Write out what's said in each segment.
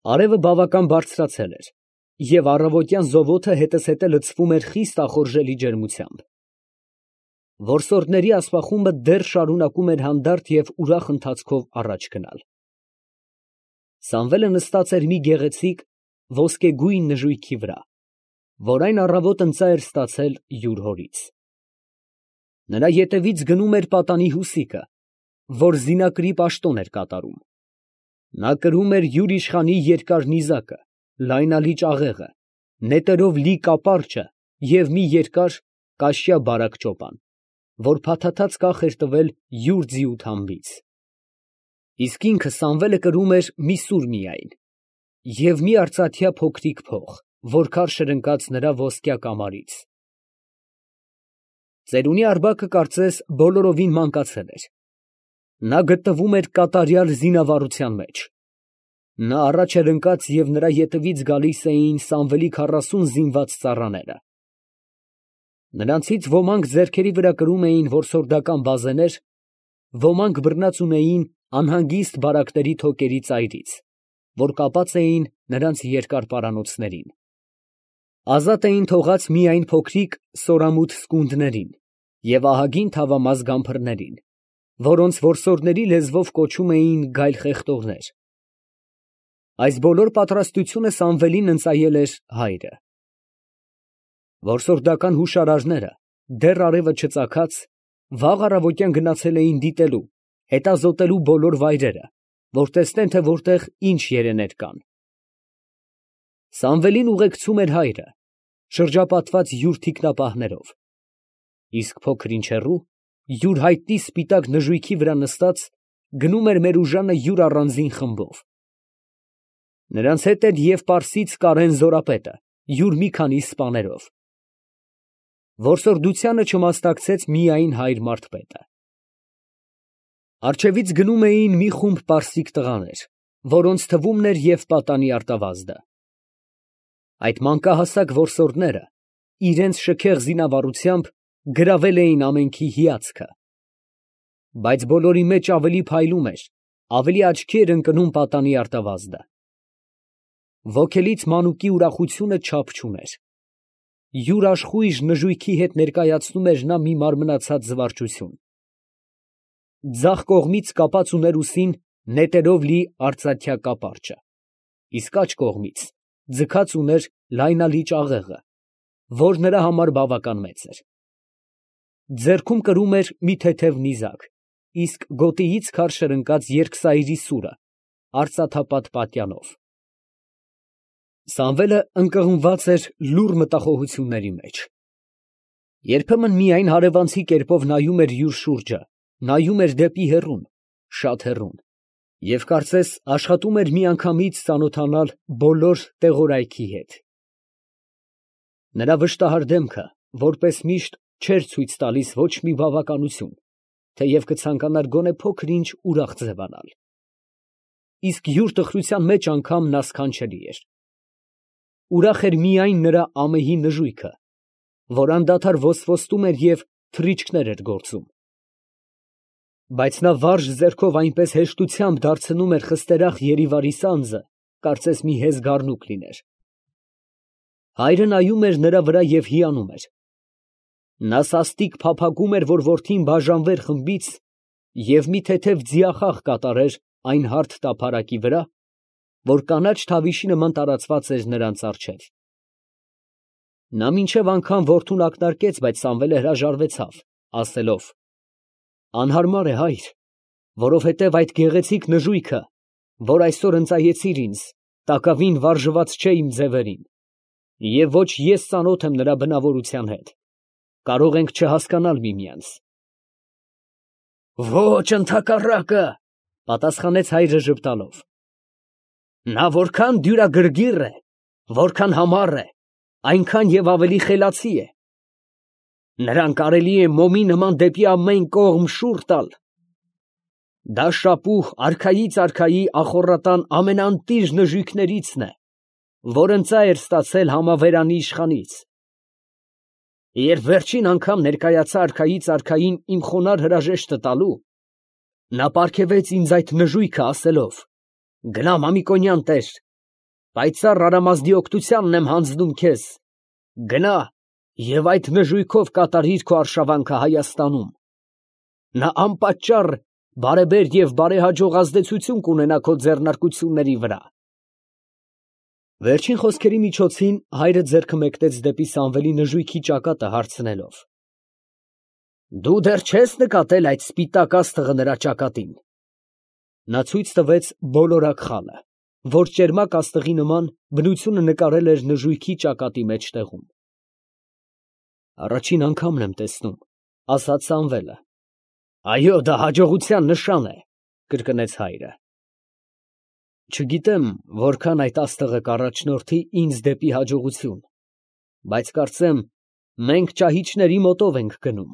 Արևը բավական բարձրացել էր, և առավոտյան զովոթը հետզհետե լցվում էր խիստ ախորժելի ջերմությամբ։ Որսորդների ասպախումը դեռ շարունակում էր հանդարտ և ուրախ ընթացքով առաջ գնալ։ Սամվելը նստած էր մի գեղեցիկ ոսկեգույն նժույգի վրա, որ այն առավոտ ընծա էր ստացել յուր հորից։ Նրա ետևից գնում էր պատանի հուսիկը, որ զինակրի պաշտոն էր կատարում։ Նա կրում էր յուր իշխանի երկար նիզակը, լայնալի ճաղեղը, նետերով լի կապարճը և մի երկար կաշյա բարակ ճոպան, որ փաթաթած կախ էր տվել յուր ձիու թամբից։ Իսկ ինքը Սամվելը կրում էր մի սուր միայն և մի արծաթյա փոքրիկ փող, որ քարշ էր ընկած նրա ոսկյա կամարից։ Ծերունի Արբակը կարծես բոլորովին մանկացել էր. նա գտնվում էր կատարյալ զինավառության մեջ։ Նա առաջ էր ընկած և նրա ետևից գալիս էին Սամվելի 40 զինված ծառաները։ Նրանցից ոմանք ձեռքերի վրա կրում էին որսորդական բազեներ, ոմանք բռնած ունեին անհանգիստ բարակների թոկերի ծայրից, որ կապած էին նրանց երկար պարանոցներին։ Ազատ էին թողած միայն փոքրիկ սորամուտ սկունդներին և ահագին թավամաս գամփրներին, որոնց որսորդների լեզվով կոչում էին գայլխեղտորներ։ Այս բոլոր պատրաստությունը Սամվելին ընծայել էր հայրը։ Որսորդական հուշարարները, դեռ արևը չծագած, վաղ առավոտյան գնացել էին դիտելու, հետազոտելու բոլոր վայրերը, որ տեսնեն, թե որտեղ ինչ երեներ կան։ Սամվելին ուղեկցում էր հայրը, շրջապատված յուր թիկնապահներով, իսկ փոքր ինչ հեռու, յուր հայտնի սպիտակ նժույգի վրա նստած, գնում էր Մերուժանը յուր առանձին խմբով։ Նրանց հետ էր և պարսից Կարեն զորապետը, յուր մի քանի սպաներով։ Որսորդությանը չմասնակցեց միայն հայր Մարդպետը։ Առջևից գնում էին մի խումբ պարսիկ տղաներ, որոնց թվում էր և պատանի արտավազդը։ Այդ մանկահասակ որսորդները իրենց շքեղ զինավառությամբ գրավել էին ամենքի հիացքը։ Բայց բոլորի մեջ ավելի փայլում էր, ավելի աչքի էր ընկնում պատանի արտավազդը։ Ոգելից մանուկի ուրախությունը չափ չուներ։ Յուր աշխույժ նժույգի հետ ներկայացնում էր նա մի մարմնացած զվարճություն։ Ձախ կողմից կապած ուներ ուսին նետերով լի արծաթյա կապարճը, իսկ աջ կողմից ձգած ուներ լայնալի ճաղեղը, որ նրա համար բավական մեծ էր։ Ձեռքում կրում էր մի թեթև նիզակ, իսկ գոտիից քարշ էր ընկած երկսայրի սուրը արծաթապատ պատյանով։ Սամվելը ընկղմված էր լուռ մտախոհությունների մեջ։ Երբեմն միայն հարևանցի կերպով նայում էր յուր շուրջը, նայում էր դեպի հեռուն, շատ հեռուն, և կարծես աշխատում էր միանգամից ծանոթանալ բոլոր տեղորայքի հետ։ Նրա վշտահար դեմքը, որպես միշտ, չէր ցույց տալիս ոչ մի բավականություն, թեև կցանկանար գոնե փոքր֊ինչ ուրախ ձևանալ։ Իսկ յուր տխրության մեջ անգամ նա սքանչելի էր։ Ուրախ էր միայն նրա ամեհի նժույգը, որ անդադար ոսվոստում էր և թռիչքներ էր գործում։ Բայց նա վարժ ձեռքով այնպես հեշտությամբ դարձնում էր խստերախ Երիվարի սանձը, կարծես մի հեզ գառնուկ լիներ։ Հայրը նայում էր նրա վրա և հիանում էր։ Նա սաստիկ փափագում էր, որ որդին բաժանվեր խմբից և մի թեթև ձիախաղ կատարեր այն հարթ տափարակի վրա, որ կանաչ թավիշի նման տարածված էր նրանց առջև։ Նա մինչև անգամ որդուն ակնարկեց, բայց Սամվելը հրաժարվեցավ, ասելով. «Անհարմար է, հայր, որովհետև այդ գեղեցիկ նժույգը, որ այսօր ընծայեցիր ինձ, տակավին վարժված չէ իմ ձևերին, և ոչ ես ծանոթ եմ նրա բնավորության հետ. կարող ենք չհասկանալ միմյանց»։ «Ոչ, ընդհակառակը, ֊ պատասխանեց հայրը ժպտալով, ֊ նա որքան դյուրագրգիռ է, որքան համառ է, այնքան և ավելի խելացի է. նրան կարելի է մոմի նման դեպի ամեն կողմ շուռ տալ. դա շապուհ արքայից արքայի ախոռատան ամենաընտիր նժույգներիցն է, որ ընծա էր ստացել համավերանի իշխանից. երբ վերջին անգամ ներկայացա արքայից արքային իմ խոնարհ հրաժեշտը տալու, նա պարգևեց ինձ այդ նժույգը ասելով. «Գնա, Մամիկոնյան տեր, Պայծառ Արամազդի օգնությանն եմ հանձնում քեզ. գնա և այդ նժույգով կատարիր քո արշավանքը Հայաստանում. նա անպատճառ բարեբեր և բարեհաջող ազդեցություն կունենա քո ձեռնարկությունների վրա։ Վերջին խոսքերի միջոցին հայրը ձեռքը մեկնեց դեպի Սամվելի նժույգի ճակատը, հարցնելով. Դու դեռ չես նկատել այդ սպիտակ աստղը նրա ճակատին։ Նա ցույց տվեց բոլորակ խալը, որ ճերմակ աստղի նման բնությունը նկարել էր նժույգի ճակատի մեջտեղում։ Առաջին անգամն եմ տեսնում, ասաց Սամվելը։ Այո, դա հաջողության նշան է, կրկնեց հայրը։ Չգիտեմ, որքան այդ աստղը կառաջնորդի ինձ դեպի հաջողություն, բայց կարծեմ, մենք ճահիճների մոտով ենք գնում։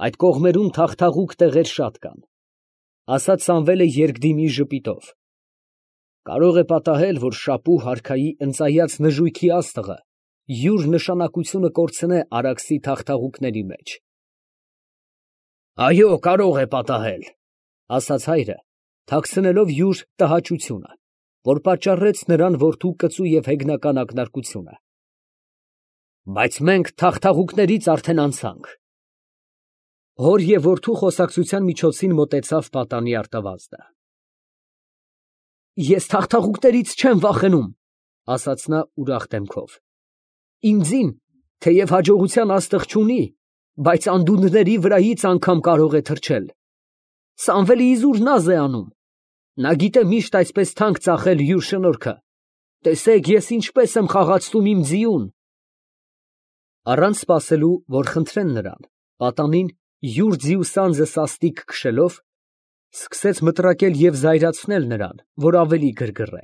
Այդ կողմերում թախթաղուկ տեղեր շատ կան, ասաց Սամվելը երկդիմի ժպիտով։ Կարող է պատահել, որ Շապու հարքայի ընծայած նժույգի աստղը յուր նշանակությունը կորցնե Արաքսի թախթաղուկների մեջ։ Այո, կարող է պատահել, ասաց հայրը, թաքցնելով յուր տհաճությունը, որ պատճառեց նրան որդու կծու և հեգնական ակնարկությունը։ Բայց մենք թախթաղուկներից արդեն անցանք։ Հոր և որդու խոսակցության միջոցին մոտեցավ պատանի արտավազդը։ Ես թախթաղուկներից չեմ վախենում, ասաց նա ուրախ դեմքով։ Իմ ձին, թեև հաջողության աստղ չունի, բայց անդունդների վրայից անգամ կարող է թռչել։ Սամվելը իզուր նազ է անում։ Նա գիտե միշտ այսպես թանկ ծախել յուր շնորհքը։ Տեսեք, ես ինչպես եմ խաղացնում իմ ձիուն։ Առանց սպասելու, որ խնդրեն նրան, պատանին յուր ձիու սանձը սաստիկ քշելով, սկսեց մտրակել և զայրացնել նրան, որ ավելի գրգռե։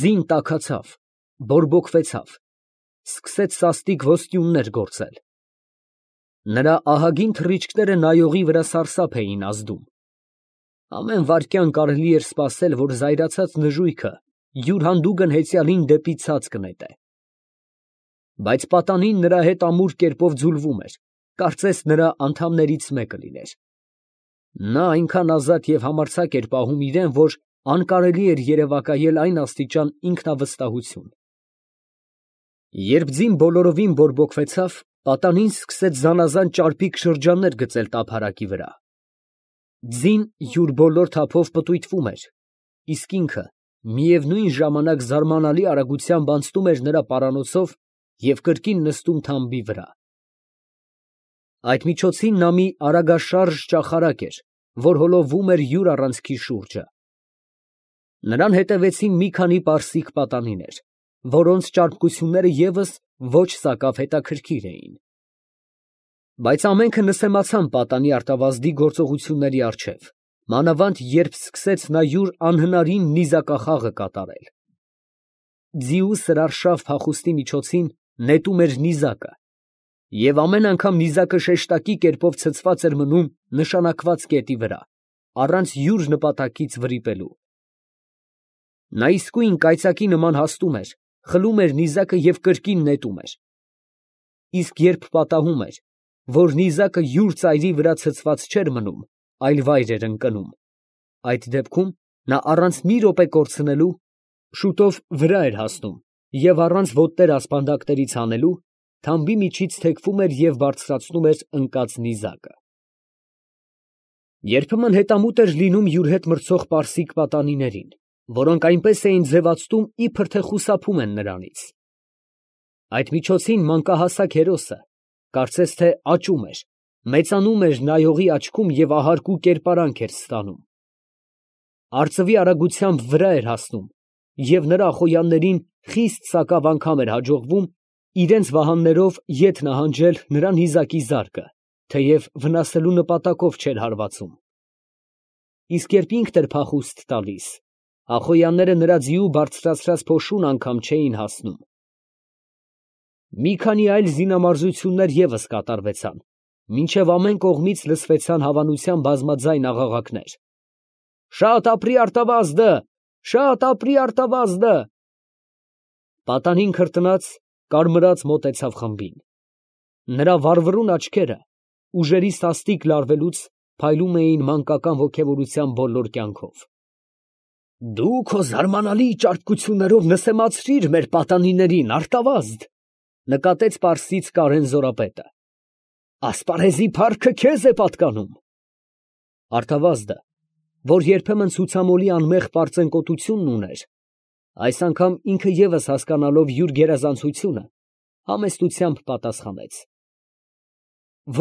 Ձին տաքացավ, բորբոքվեցավ, սկսեց սաստիկ ոսկյուններ գործել։ Նրա ահագին թռիչքները նայողի վրա սարսափ էին ազդում։ Ամեն վայրկյան կարելի էր սպասել, որ զայրացած նժույգը յուր հանդուգն հեծյալին դեպի ցած կնետե։ Բայց պատանին նրա հետ ամուր կերպով ձուլվում էր, կարծես նրա անդամներից մեկը լիներ։ Նա այնքան ազատ և համարձակ էր պահում իրեն, որ անկարելի էր երևակայել այն աստիճան ինքնավստահություն։ Երբ ձին բոլորովին բորբոքվեցավ, պատանին սկսեց զանազան ճարպիկ շրջաններ գծել տափարակի վրա։ Ձին յուր բոլոր թափով պտույտվում էր, իսկ ինքը միևնույն ժամանակ զարմանալի արագությամբ անցնում էր նրա պարանոցով և կրկին նստում թամբի վրա։ Այդ միջոցին նա մի արագաշարժ ճախարակ էր, որ հոլովում էր յուր առանցքի շուրջը։ Նրան հետևեցին մի քանի պարսիկ պատանիներ, որոնց ճարպկությունները ևս ոչ սակավ հետաքրքիր էին։ Բայց ամենքը նսեմացան պատանի արտավազդի գործողությունների առջև, մանավանդ երբ սկսեց նա յուր անհնարին նիզակախաղը կատարել։ Ձիու սրարշավ փախուստի միջոցին նետում էր նիզակը, և ամեն անգամ նիզակը շեշտակի կերպով ցցված էր մնում նշանակված կետի վրա, առանց յուր նպատակից վրիպելու։ Նա իսկույն կայծակի նման հաստում էր, խլում էր նիզակը և կրկին նետում էր։ Իսկ երբ պատահում էր, որ նիզակը յուր ծայրի վրա ցցված չէր մնում, այլ վայր էր ընկնում, այդ դեպքում նա առանց մի րոպե կորցնելու շուտով վրա էր հասնում և առանց ոտներ ասպանդակներից հանելու, թամբի միջից թեքվում էր և բարձրացնում էր ընկած նիզակը։ Երբեմն հետամուտ էր լինում յուր հետ մրցող պարսիկ պատանիներին, որոնք այնպես էին ձևացնում, իբր թե խուսափում են նրանից։ Այդ միջոցին մանկահասակ հերոսը կարծես թե աճում էր, մեծանում էր նայողի աչքում և ահարկու կերպարանք էր ստանում։ Արծվի արագությամբ վրա էր հասնում, և նրա խոյաններին խիստ սակավ անգամ էր հաջողվում իրենց վահաններով ետ նահանջել նրա նիզակի զարկը, թեև վնասելու նպատակով չէր հարվածում։ Իսկ երբ ինքն էր փախուստ տալիս, ախոյանները նրա ձիու բարձրացրած փոշուն անգամ չէին հասնում։ Մի քանի այլ զինամարզություններ ևս կատարվեցան, մինչև ամեն կողմից լսվեցան հավանության բազմաձայն աղաղակներ. «Շատ ապրի արտավազդը, շատ ապրի արտավազդը»։ Պատանին քրտնած, կարմրած մոտեցավ խմբին։ Նրա վառվռուն աչքերը ուժերի սաստիկ լարվելուց փայլում էին մանկական ոգևորության բոլոր կյանքով։ Դու քո զարմանալի ճարպկություններով նսեմացրիր մեր պատանիներին, Արտավազդ, նկատեց պարսից Կարեն Զորապետը։ Ասպարեզի փառքը քեզ է պատկանում։ Արտավազդը, որ երբեմն ցուցամոլի անմեղ պարծենկոտությունն ուներ, այս անգամ ինքը ևս հասկանալով յուր գերազանցությունը, համեստությամբ պատասխանեց.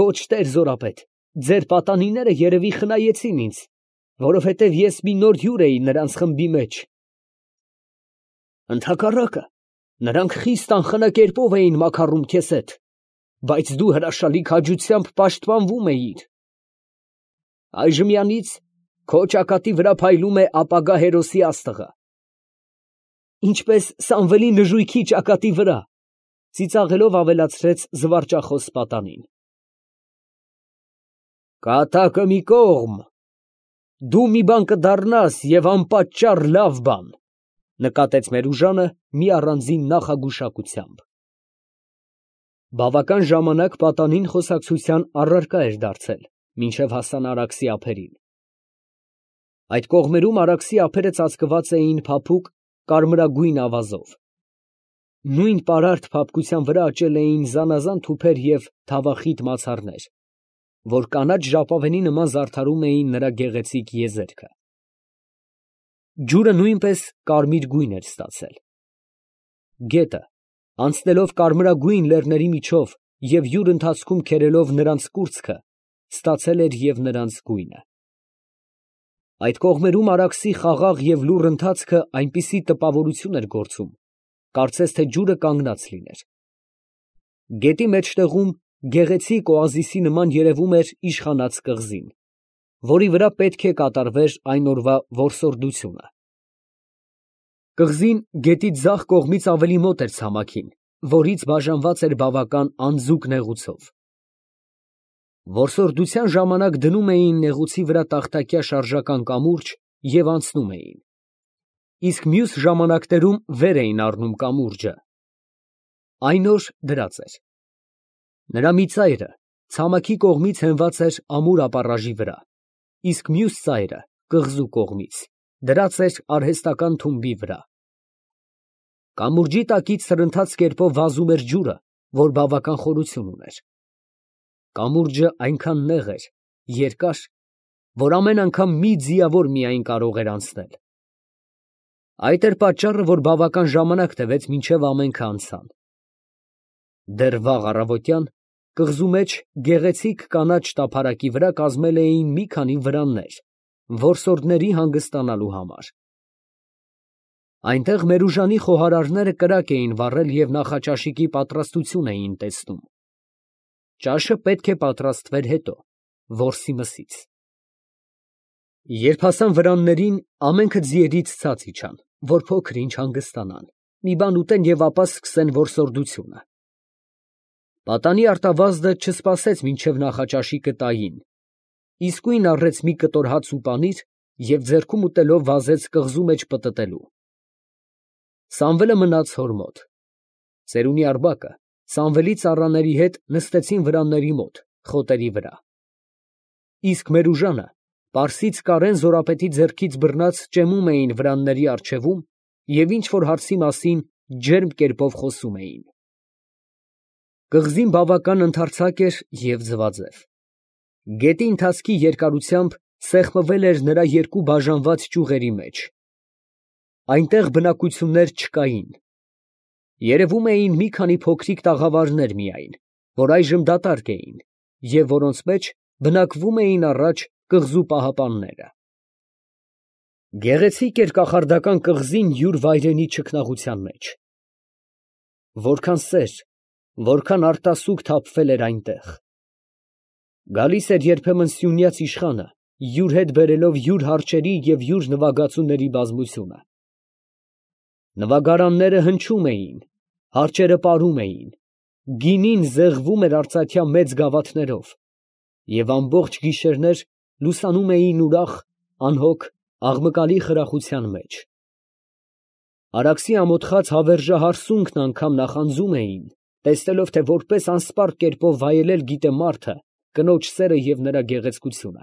Ոչ, տեր Զորապետ, ձեր պատանիները երևի խնայեցին ինձ, որովհետև ես մի նոր հյուր էի նրանց խմբի մեջ։ Ընդհակառակը, նրանք խիստ անխնա էին մաքարում քեզ հետ, բայց դու հրաշալի քաջությամբ պաշտպանվում էիր։ Այժմյանից քո ճակատի վրա փայլում է ապագա հերոսի աստղը։ Ինչպես Սամվելի նժույգի ճակատի վրա, ծիծաղելով ավելացրեց զվարճախոս պատանին։ Կատակը մի կողմ, դու մի բան կդառնաս և անպատճառ լավ բան, նկատեց Մերուժանը մի առանձին նախագուշակությամբ։ Բավական ժամանակ պատանին խոսակցության առարկա էր դարձել, մինչև հասան Արաքսի ափերին։ Այդ կողմերում Արաքսի ափերը ծածկված էին փափուկ կարմրագույն ավազով։ Նույն պարարտ փափկության վրա աճել էին զանազան թուփեր և թավախիտ մացառներ, որ կանաչ ժապավենի նման զարդարում էին նրա գեղեցիկ եզերքը։ Ջուրը նույնպես կարմիր գույն էր ստացել։ Գետը, անցնելով կարմրագույն լեռների միջով և յուր ընթացքում քերելով նրանց կուրծքը, ստացել էր և նրանց գույնը։ Այդ կողմերում Արաքսի խաղաղ և լուռ ընթացքը այնպիսի տպավորություն էր գործում, կարծես թե ջուրը կանգնած լիներ։ Գետի մեջտեղում գեղեցիկ օազիսի նման երևում էր իշխանած կղզին, որի վրա պետք է կատարվեր այն օրվա որսորդությունը։ Կղզին գետի ձախ կողմից ավելի մոտ էր ցամաքին, որից բաժանված էր բավական անձուկ նեղուցով։ Որսորդության ժամանակ դնում էին նեղուցի վրա տախտակյա շարժական կամուրջ և անցնում էին, իսկ մյուս ժամանակներում վեր էին առնում կամուրջը։ Այն օր դրած էր։ Նրա մի ծայրը ցամաքի կողմից հենված էր ամուր ապառաժի վրա, իսկ մյուս ծայրը կղզու կողմից դրած էր արհեստական թումբի վրա։ Կամուրջի տակից սրընթաց կերպով վազում էր ջուրը, որ բավական խորություն ուներ։ Կամուրջը այնքան նեղ էր, երկար, որ ամեն անգամ մի ձիավոր միայն կարող էր անցնել։ Այդ էր պատճառը, որ բավական ժամանակ տևեց, մինչև ամենքը անցան։ Դեռ վաղ առավոտյան կղզու մեջ գեղեցիկ կանաչ տափարակի վրա կազմել էին մի քանի վրաններ, որսորդների հանգստանալու համար։ Այնտեղ Մերուժանի խոհարարները կրակ էին վառել և նախաճաշիկի պատրաստություն էին տեսնում։ Ճաշը պետք է պատրաստվեր հետո, որսի մսից։ Երբ հասան վրաններին, ամենքը ձիերից ցած իջան, որ փոքր-ինչ հանգստանան, մի բան ուտեն և ապա սկսեն որսորդությունը։ Պատանի Արտավազդը չսպասեց մինչև նախաճաշիկը տային, իսկույն առեց մի կտոր հաց ու պանիր և ձեռքում ուտելով վազեց կղզու մեջ պտտելու։ Սամվելը մնաց հոր մոտ։ Ծերունի Արբակը Սամվելի ծառաների հետ նստեցին վրանների մոտ, խոտերի վրա։ Իսկ Մերուժանը, պարսից Կարեն Զորապետի ձեռքից բռնած ճեմում էին վրանների առջևում և ինչ֊որ հարցի մասին ջերմ կերպով խոսում էին։ Կղզին բավական ընդարձակ էր և ձվաձև։ Գետի ընթացքի երկարությամբ սեղմվել էր նրա երկու բաժանված ճյուղերի մեջ։ Այնտեղ բնակություններ չկային։ Երևում էին մի քանի փոքրիկ տաղավարներ միայն, որ այժմ դատարկ էին և որոնց մեջ բնակվում էին առաջ կղզու պահապանները։ Գեղեցիկ էր կախարդական կղզին յուր վայրենի չքնաղության մեջ։ Որքան սեր, որքան արտասուք թափվել էր այնտեղ։ Գալիս էր երբեմն սյունյաց իշխանը, յուր հետ բերելով յուր հարճերի և յուր նվագածուների բազմությունը։ Նվագարանները հնչում էին, հարճերը պարում էին, գինին զեղվում էր արծաթյա մեծ գավաթներով, և ամբողջ գիշերներ լուսանում էին ուրախ, անհոգ, աղմկալի խրախության մեջ։ Արաքսի ամոթխած հավերժահարսունքն անգամ նախանձում էին, տեսնելով, թե որպես անսպառ կերպով վայելել գիտե մարդը կնոջ սերը և նրա գեղեցկությունը։